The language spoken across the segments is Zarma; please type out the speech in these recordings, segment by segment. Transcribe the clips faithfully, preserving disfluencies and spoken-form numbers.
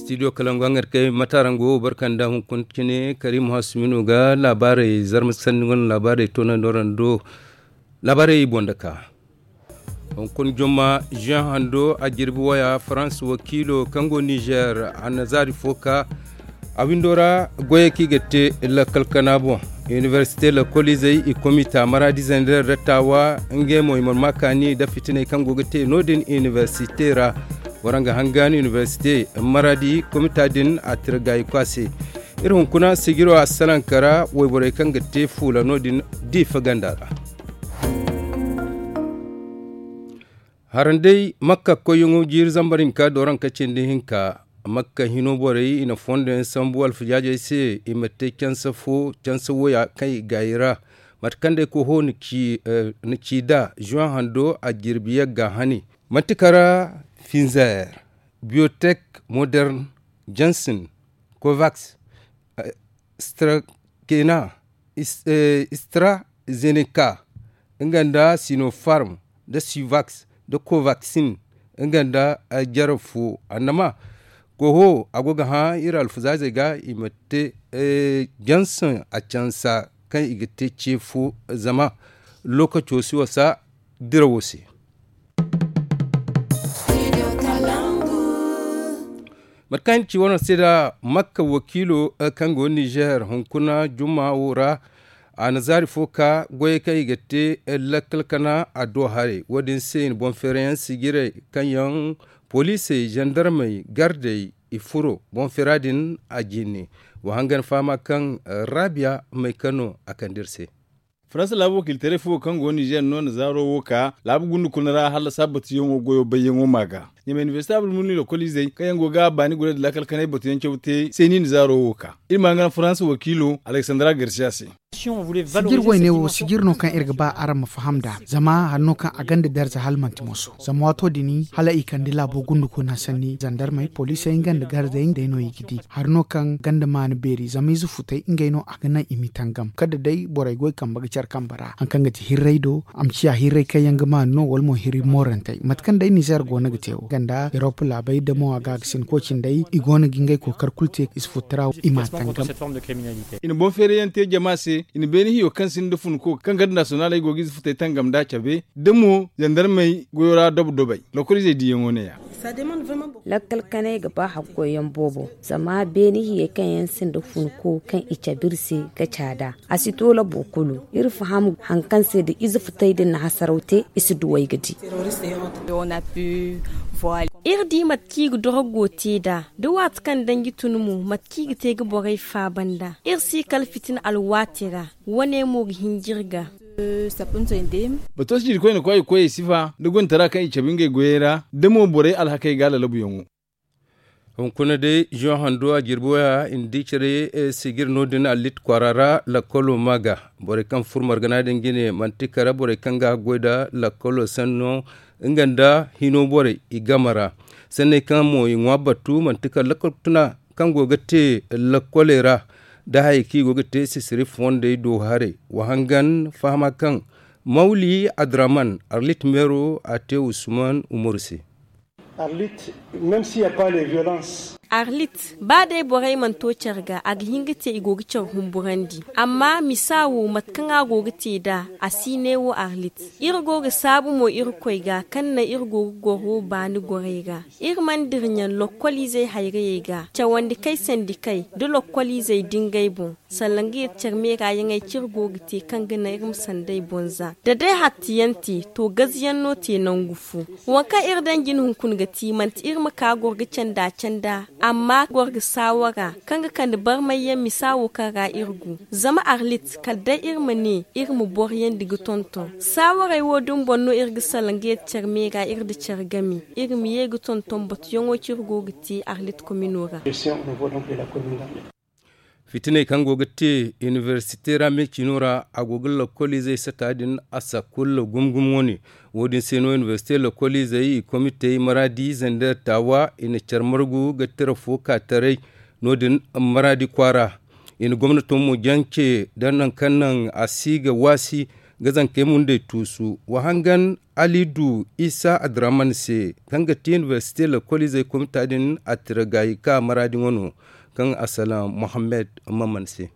Studio kalangu hangar kay matarango barkanda hunkuna cine karim hasumino ga labaarey zarma sanni wane labaarey toonandi warando. Labaarey boŋ da ka hunkuna jomma jean hando a jirbi waya farans wakiilo kaŋ go nizer a na zaari fo ka a windo ra goyey kaŋ i ga te lakkal kana boŋ. Inibersite lakkoliizey i komita maraadi zender da taawa ngey mo i mana ma kaani nda fitiney kaŋ go ga te no- din inibersite ra. Waraŋ ga hangan inibersite maraadi komita din a tira gaayi kwaase. Iri hunkuna sijiro a salaŋ kara wayborey kaŋ ga te fuula no- din diifa ganda ra. Haranday makka koyyaŋo jiiri zambar hinka dooranka cindi hinka. Makka hino borey i na fondo yaŋ sambu alfajaajey se i ma te canse fo canse woya kaŋ i gaayi ra. Mate kaŋ day koho na ci nd'a zuwan hando a jirbi yagga hane. Manti kara finzer biyotek modern jansin kovaks strakena strazeneca nga nda sinopharm nda sivaks nda kovaksin nga nda jarab fo annama. Koho a go ga hã iri alfuzaazey ga i ma te jansin a cansa kaŋ i ga te ce fo zama lokaco si wasa dirawo se. Mate kaŋ ci wane se da makka wakiilo kaŋ go nizer hunkuna juma wo ra a na zaari fo ka goyey kaŋ i ga te lakkal kana a do haray wo- din se i na boŋ feerayaŋ sijirey kaŋ yaŋ poliisey zandarmey gardey i furo boŋ feera din a jinne. Wa hangan fahama kaŋ rabiya may kano a kande iri se. Faransa laabu wakiilitaray fo kaŋ go nizer no na zaaro wo ka laabu gundu kuna ra hala sabbatuyaŋo goyo bayyaŋo ma ga. Ɲamay inibersite abulmuni lokoliizey kaŋ yaŋ go ga baani gure nda lakkal kanay batuyaŋ caw te se no i na zaaro wo ka iri ma hangan faransa wakiilo aleksandra garsiya se. Sijir wayne wo sijir no kaŋ iri ga ba araŋ ma faham nd'a zama hari no kaŋ a gonda darza hala manti moso zama waato din hala i kande laabo gundu kuna sanni zandarmey poliisey nga nda gardey day no i ga di. Hari no kaŋ gonda maana beeri zama ize futey ngey no a ga naŋ i m'i tangam kala da day borey goy kambe ga care kambe ra hari kaŋ ga ti hirray do a ma ciya hirray kaŋ yaŋ ga maana no wala mo hirri moorantey mate kaŋ day nizer go no ga te wo ganda erop laabey damo a ga a ga sinko cindey i go no ga ngey kookar kulu te ize futtara i m'a tangam. I na boŋ feerayaŋ te jama se i na beene hiyo kaŋ sinda funko kaŋ garde nasiyonaaley go ga ize futey tangam nd'a cabe da mo zandarmey goyo ra dobo dobey lokoliizey diiyaŋo ne- ya. Lakkal kanay ga ba haggoyyaŋ boobo zama beene hiyey kaŋ yaŋ sinda funko kaŋ i cabe iri se ga caada a si to labo kulu. Iri faham hari kaŋ se da ize futey din na hasaraw te i si duw'ey ga di. Iri di mate kaŋ i ga dorogo te nd'a da waati kaŋ danji tun mo mate kaŋ i ga te ga borey faaba nd'a iri si kala fitina alwaati ra. Wane mo ga hinja iri ga. Bato sijirkoyne koy ga koy ay sifa da gontara kaŋ i cabe ngey goyey ra da mo borey alhakey ga lalabuyaŋo. Hunkuna day zuwan hando a jirbi waya i na di care sijir no- din allit kwaara ra lakkolo ma ga borey kaŋ furo margana din jine manti kala borey kaŋ ga haggoy nda lakkolo sanno nga nda hino borey i game ra. Sanney kaŋ mo i ŋwa battu manti kala lakkol tuna kaŋ go ga te lakkoley ra da hayey kaŋ i go ga te sisiri fondey do haray wa hangan fahama kaŋ mawli adraman arlit meero a te usman umaru se. Arlit, ba day borey mana to care ga a ga hin ga te i go ga care humburandi amma misa wo mate kaŋ a go ga te nd'a a si ne wo arlit. Iri go ga saabu mo irkoy ga kaŋ naŋ iri go ga goro baani gorey ra. Iri mana dira ɲaŋ lokkoliizey hayrayey ga cawandi kay sandi kay da lokkoliizey dingay boŋ. Sallangiyat care meera yaŋey kaŋ iri go ga te kaŋ ga naŋ iri ma sandey boŋ za da day hattiyaŋ te to gaziyaŋ no te nangu fo. Waŋ kaŋ iri daŋ jine hunkuna ga ti manti iri ma ka goro ga canda canda amma goro ga saawara kaŋ ga kande barmayyaŋ misa wo kaŋ ra iri go. Zama arlit kala day iri ma ne iri ma boroyandi ga tonton saawaray wo din boŋ no iri ga sallangiyat care meera iri nda care game iri ma ye ga tonton batuyaŋo kaŋ iri go ga te arlit komino ra. Fitiney kaŋ go ga te inibersite ra me cino ra a go ga lakkoliizey sata din a sakkul gumo gumo wane. Wo- din se no inibersite lakkoliizey i komitey maraadi zender taawa i na care margu ga tira fo ka taray no- din maraadi kwaara. I na gomnato mo jance da nangu kaŋ naŋ a si ga waasi ga zankey mundey tuusu. Wa hangan ali du isa adraman se, kaŋ ga ti inibersite lokoliizey komita din a tira gaayi ka maraadi ŋwa no, kaŋ a salaŋ mohammed maman se.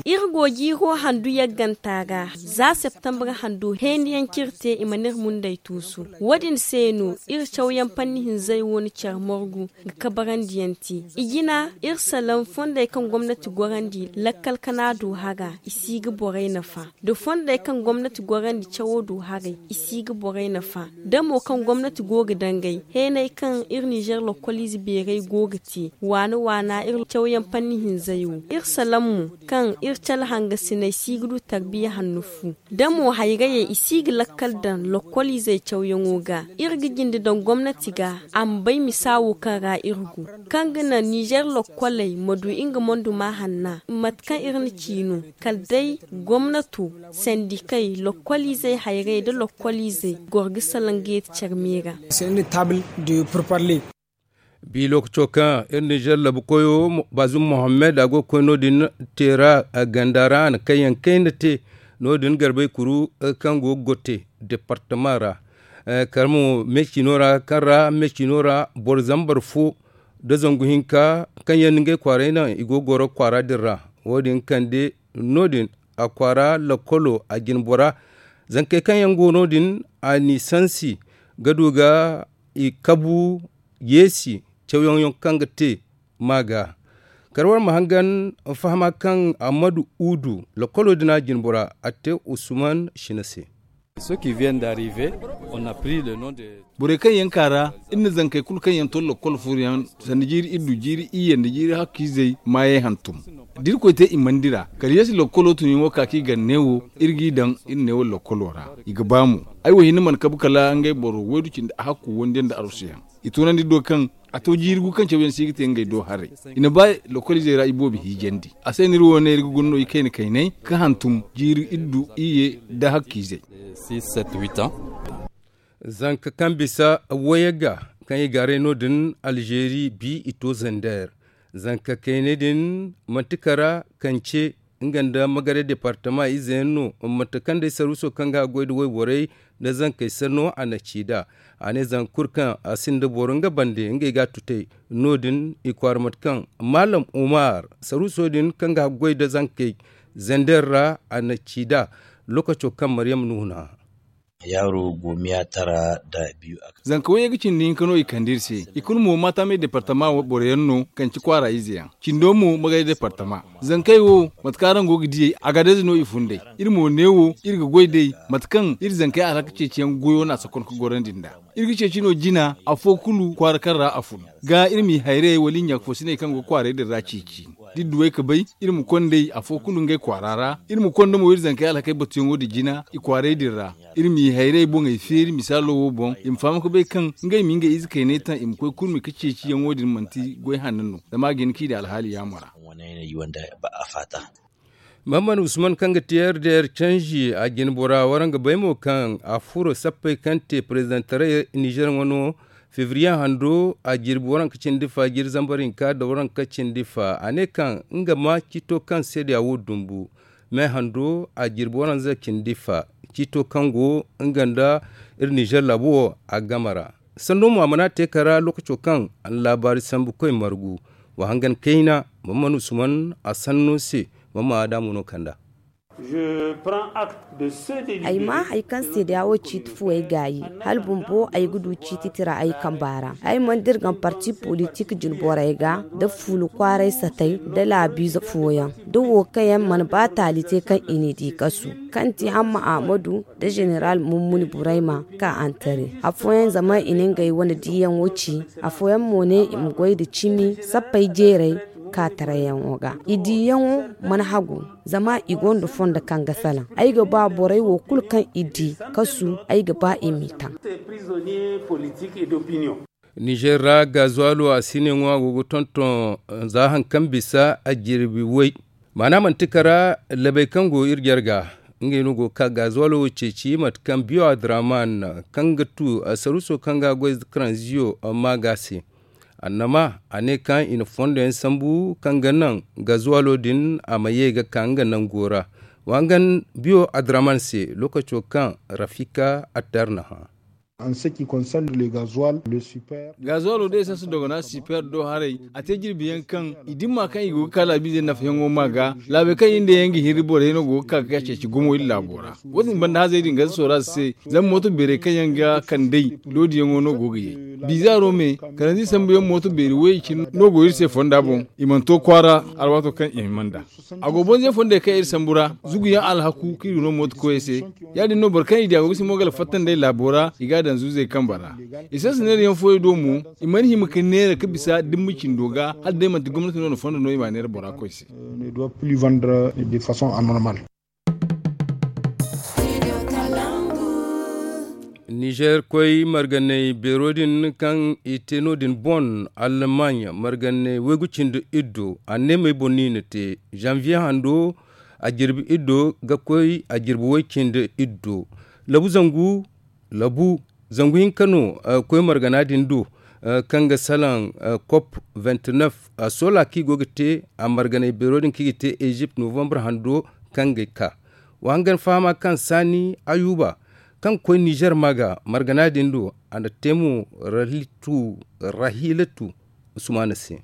Iri go jiiro handu yagganta ra za septembre handu heendiyaŋ kaŋ iri te i mana iri mundey tuusu. Wo- din se no iri cawyaŋ panni hinzey wo na care morgu ga kabarandiyaŋ te. I jina iri salaŋ fondey kaŋ gomnati gorandi lakkal kana du hara i si ga borey nafa. Da fondey kaŋ gomnati gorandi cawo du haray i si ga borey nafa. Da mo kaŋ gomnati go ga dangay heenay kaŋ iri ninzeer lokkoliize beeray go ga te waana waana iri cawyaŋ panni hinzey wo. Iri salaŋ mo kaŋ iri cala hangasiney si ga du tarbiya hanno fu. Da mo hayrayey i si ga lakkal daŋ lokkoliizey cawyaŋo ga. Iri ga jinde daŋ gomnati ga a ma bay misa wo kaŋ ra iri go, kaŋ ga naŋ ninzeer lokkoley ma du nga monduma hanna mate kaŋ iri na ci no. Kala day gomnato, sandikey, lokkoliizey hayrayey nda lokkoliizey goro ga salaŋ ga yeeti care me ra. Bi lokaco kaŋ iri ninzeer labu koyo bazum mohammed a go ga koy no- din teera ganda ra a na kayyaŋ kayna te. No- din garbey kuru kaŋ go ga gotte departama ra. Kala mo me ciino ra kaŋ ra me ciino ra boro zambar fo nda zangu hinka kaŋ yaŋ na ngey kwaaray naŋ i go ga goro kwaara din ra. Wo- din kande no- din a kwaara lakkolo a jine bora. Zankey kaŋ yaŋ go no- din a n'i sansi ga du ga i kabu yeesi cawyaŋ yaŋ kaŋ ga te ma ga. Kala war ma hangan fahama kaŋ ammadu udu lakkolo din a jine bora a te usman shina se. Borey kaŋ yaŋ ka ra iri na zankey kulu kaŋ yaŋ to lakkol furo yaŋ sanda jiiri iddu jiiri iyye nda jiiri hakkiizey maayey hantum. Da irkoy te i mana dira kala yeesi lakkolo tun yaŋo ka kaŋ i gar neewo iri g'i daŋ iri neewo lakkolo ra. I ga ba mo ay wo hinne mana kabu kala ngey boro waydu cindi hakku wondiyaŋ nda arsuyaŋ. I tunandi do kaŋ a to jiiri gu kaŋ cawyaŋ si ga te ngey do haray. I na ba lokoliizey ra i boobo hiijandi. A se no iri wo ne iri ga guna no i kayna kaynay ka hantum jiiri iddu iyye nda hakkiizey. Zanka kaŋ bisa wayey ga kaŋ i gaaray no- din alzeeri bi i to zander. Zanka kaynay din manti kara kance nga nda magaray departama ize yaŋ no. Mate kaŋ day sarwiso kaŋ ga a goy nda wayborey nda zankey sanno a na ci nd'a. A ne zanka kulu kaŋ a sinda boro nga bande ngey ga a tutay. No- din i kwaara mate kaŋ maalam umar sarwiso din kaŋ ga a goy nda zankey zander ra a na ci nd'a. Lookaco kaŋ maryam nuhuna. Yaaro go miyatara da biyu a. Zanka wayey ga cindi hinka no i kande iri se i kulu mo maatamey departama boro yaŋ no kaŋ ci kwaara ize yaŋ. Cindo mo magay departama. Zankey wo mate kaŋ araŋ go ga diyey a ga day ize no i fun day. Iri mo neewo iri ga goy day mate kaŋ iri zankey alhaka ceeciyaŋ goyo no a sakon ga gorandi nd'a. Iri ga ceeci no jina afo kulu kwaara kaŋ ra a fun ga iri m'i hayrayey wala i ɲaakafoosiney kaŋ go kwaarey din ra ceeci. Da iri du ay ga bay iri ma konda ay afo kulu ngey kwaara ra. Iri ma konda mo iri zankey alhakey batuyaŋo din jina i kwaarey din ra. Iri m'i hayrayey boŋey feeri misaalo wo boŋ i ma faham ga bay kaŋ ngey ma ngey ize kayney taŋ i ma koy kurmi ga ceeciyaŋo din manti goy hanno no. Zama a ga hin kaŋ i daŋ alhaali yaamo ra. Mahamman usman kaŋ ga ti r d r canji a jine bora waraŋ ga bay mo kaŋ a furo sappey kaŋ te parezidentaray nizer ŋwa no. Febriye hando a jirbi waranka cindi fa jiri zambar hinka nda waranka cindi fa a ne kaŋ nga ma ciito kaŋ seeda wo dumbu. Me hando a jirbi waranza cindi fa ciito kaŋ go nga nda iri nizer laabu wo a game ra. Sanno mo a mana te kara lookaco kaŋ a na laabaari sambu koy margu. Wa hangan kayna, maman usman a sanno se. Maman adamu no kanda. Ay maa hari kaŋ seedeya wo ciiti fuwey gaayi hala bumbo ay ga du ciiti tira ay kamba ra. Ay mana dirgam parti politik jine borey ga nda fuula kwaaray satey nda laabiize fooyaŋ da wo kaŋ yaŋ mana ba taali te kaŋ i n'i di kasu, kaŋ ti hamma ahmadu nda zeneral mummuni burayma ka antare. Afooyaŋ zama i na ngey wane diiyaŋo ci. Afooyaŋ mo ne i ma goy nda cimi sappey jeeray ka tarayaŋo ga i diiyaŋo mana hagu. Zama i gonda fondo kaŋ ga salaŋ ay ga ba borey wo kulu kaŋ i di kasu ay ga ba i m'i taŋ. Nizer ra gazuwalo a si ne ŋwa go ga tonton za hari kaŋ bisa a jirbi way. Maana manti kara labey kaŋ go iri jarga ngey no go ga ka gazuwalo wo ceeci mate kaŋ biyo adraman kaŋ ga tu sarwiso kaŋ ga a goy karanziyo. Maaga se annama a ne kaŋ i na fondo yaŋ sambu kaŋ ga naŋ gazuwalo din a ma ye ga ka nga nango ra. Wa hangan biyo adraman se, lookaco kaŋ rafika attar na hã. Gazuwalo da esans dogona siper do haray, a te jirbi yaŋ kaŋ i dimma kaŋ i go ga ka laabiizey nafayaŋo ma ga laabey kaŋ i nda yaŋ ga hiri borey no go ga ka ga ceeci gumo iri laabo ra. Wo- din banda hazey din ga soora se, zama mooto beerey kaŋ yaŋ ga kand'ey, loodiyaŋo no go ga ye. Bizaaro me, kalanzir sambu yaŋ mooto beeri wayey cine no go iri se fonda boŋ. I mana to kwaara alwaato kaŋ i hima nd'a. A go bonze fondey kaŋ iri sambu ra, zugu yaŋ alhaku kaŋ iri no mooto koyey se. Ya- din no boro kaŋ i di a go ga simo gala fatta nd'ey laabo ra, i g'a daŋ zuuzey kambe ra. Esans neera yaŋ fooyaŋ do mo, i mana hima ka neera ka bisa dimma cindo ga, hala day manti gomnati no na fondo no i m'a neera bora koy se. Nizer koy marganay beero din kaŋ i te no- din bon, almanya marganay waygu cindi iddo a neemey boŋ no i na te. Zanviye hando a jirbi iddo ga koy a jirbi way cindi iddo. Labu zangu labu zangu hinka no koy margana din do, kaŋ ga salaŋ kop vingt-neuf, sola kaŋ i go ga te a marganay beero din kaŋ i ga te ezipt novambar hando kaŋ ga ka. Wa hangan fahama kaŋ saani ayuba kaŋ ga koy nizer ma ga margana din do, a na te mo rahilatu usmana se.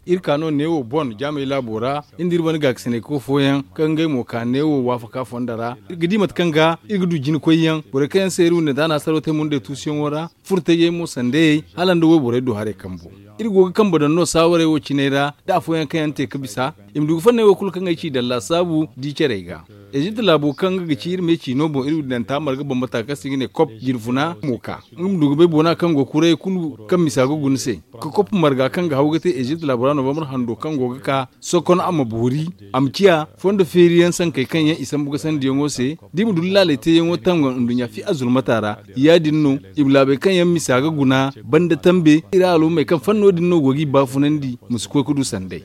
Iri ka no neewo bon jaamey laabo ra, iri nda iri wane gaakasinay ko fooyaŋ kaŋ ngey mo ka neewo waafaka fonda ra. Iri ga di mate kaŋ ga iri ga du jina koyyaŋ borey kaŋ yaŋ se iri windi nda a na saro te mundey tuusuyaŋo ra, furtayey mo sandayey hala nda wayborey du haray kambo. Iri go ga kambe daŋ no saawarey wo ciney ra, da afooyaŋ kaŋ yaŋ te ga bisa i ma du ga fanney wo kulu kaŋ ay ci daŋ laasaabu di carey ga. Ezipt laabo kaŋ nga ga ci iri me ciino boŋ iri wudanta marga bambata kaŋ se i ga ne kop jirfuna mo ka nga ma du ga bay boona kaŋ go kuray kulu kaŋ misa ga guna se, ka kop marga kaŋ ga haw ga te ezipt laabo ra novambar hando kaŋ go ga ka sokon a ma boori, a ma ciya fondo feeriyaŋ sankey kaŋ yaŋ i sambu ga sandiyaŋo se, da i ma du laaley teeyaŋo tangam nduɲɲa fi azulmata ra. Ya- din no i ma laabey kaŋ yaŋ misa ga guna banda tambe iri alumey kaŋ fanno din no go ga i baafunandi ma si koy ga du sanday.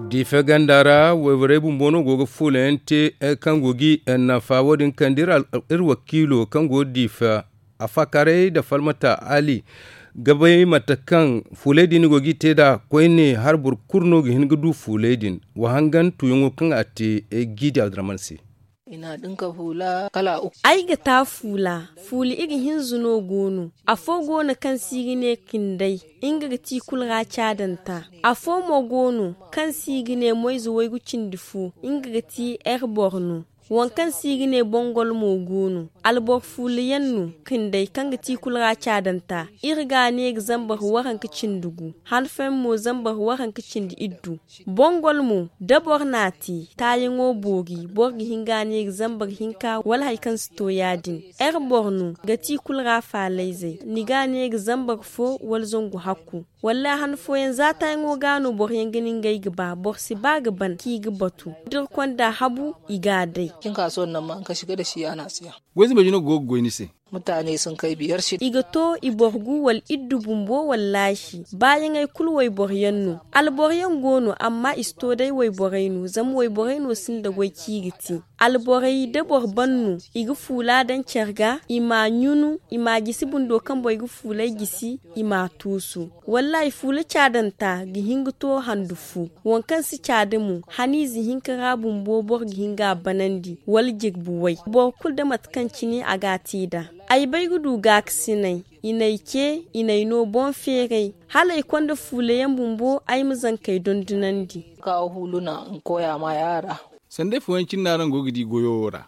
Diife ganda ra wayborey bumbo no go ga fuula yaŋ te kaŋ go ga i nafa wo- din kande iri wakiilo kaŋ go ga diife a faakaarey nda falmata ali ga bay mate kaŋ fuuley din go ga i te nd'a koyne hala boro kulu no ga hin ga du fuuley din. Wa hangan tuuyaŋo kaŋ a te jiidi abdurahman se. Ay ga ta fuula fuula iri hinza no go no. Afo go no kaŋ se i ga ne kinday nga ga ti kulu ra caadanta. Afo mo go no kaŋ se i ga ne moyze waygu cindi fo nga ga ti ere boro no. Waŋ kaŋ se i ga ne bongol mo go no. Alboro fuula yaŋ no kinday kaŋ ga ti kulu ra caadanta. Iri ga a ne ga zambar waranka cindi gu han fooyaŋ mo zambar waranka cindi iddu. Bongol mo da boro n'a te taayaŋo boori boro ga hin ga a ne ga zambar hinka wala hari kaŋ si to ya- din. Ere boro no ga ti kulu ra faalayzey ni ga a ne ga zambar fo wala zangu hakku. Wallaahi han fooyaŋ za taayaŋo ga no boro yaŋ ga ni ngey ga ba boro si ba ga ban kaŋ i ga batu da iri konda habu i ga a day. Goy zumey jino go ga goy ni se. I ga to i boro gu wala iddu bumbo wallaahi baayaŋey kulu wayboro yaŋ no. Alboro yaŋ go no amma i si to day wayborey no zama wayborey no sinda goy kaŋ i ga te. Alborey da boro ban no i ga fuula daŋ care ga i m'a ɲunu i m'a jisi bundo kaŋ borey ga fuuley jisi i m'a tuusu. Wallaahi fuula caadanta ga hin ga to handu fu. Waŋ kaŋ si caada mo haniize hinka ra bumbo boro ga hin ga a banandi wala jirbi way boro kulu da mate kaŋ cine a ga a te nd'a. Ay bay ga du gaakasinay i n'ay ce i n'ay no boŋ feeray hala ay konda fuula yaŋ bumbo ay ma zankey dondonandi. Sanday fooyaŋ cine no araŋ go ga di goyo wo ra.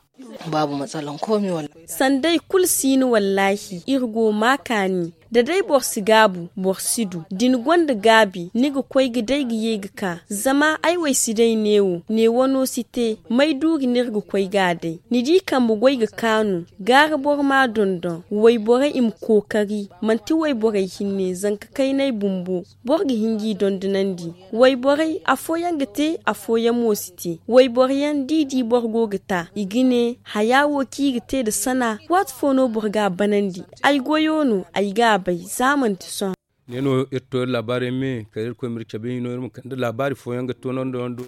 Sanday kulu si no wallaahi iri go ma kaani. Da day boro si gaabu boro si du da ni gonda gaabi ni ga koy ga day ga ye ga ka zama ay wo ay si day neewo neewo no si te may duuri no iri ga koy ga a day ni di kambe goy ga kaanu. Gaara boro ma dondon wayborey i ma kookari manti wayborey hinne zanka kaynay bumbo. Boro ga hin g'i dondonandi wayborey afooyaŋ ga te afooyaŋ mo si te. Wayboroyaŋ da i di boro go ga ta i ga ne haya wo kaŋ i ga te nda sana waati fo no boro ga a banandi. Ay goyo no ay ga a bay za manti sohõ. Ne no iri to iri laabaarey me kala irkoy ma iri cabe hino iri ma kande laabaari fooyaŋ ga toonandi yaŋ do.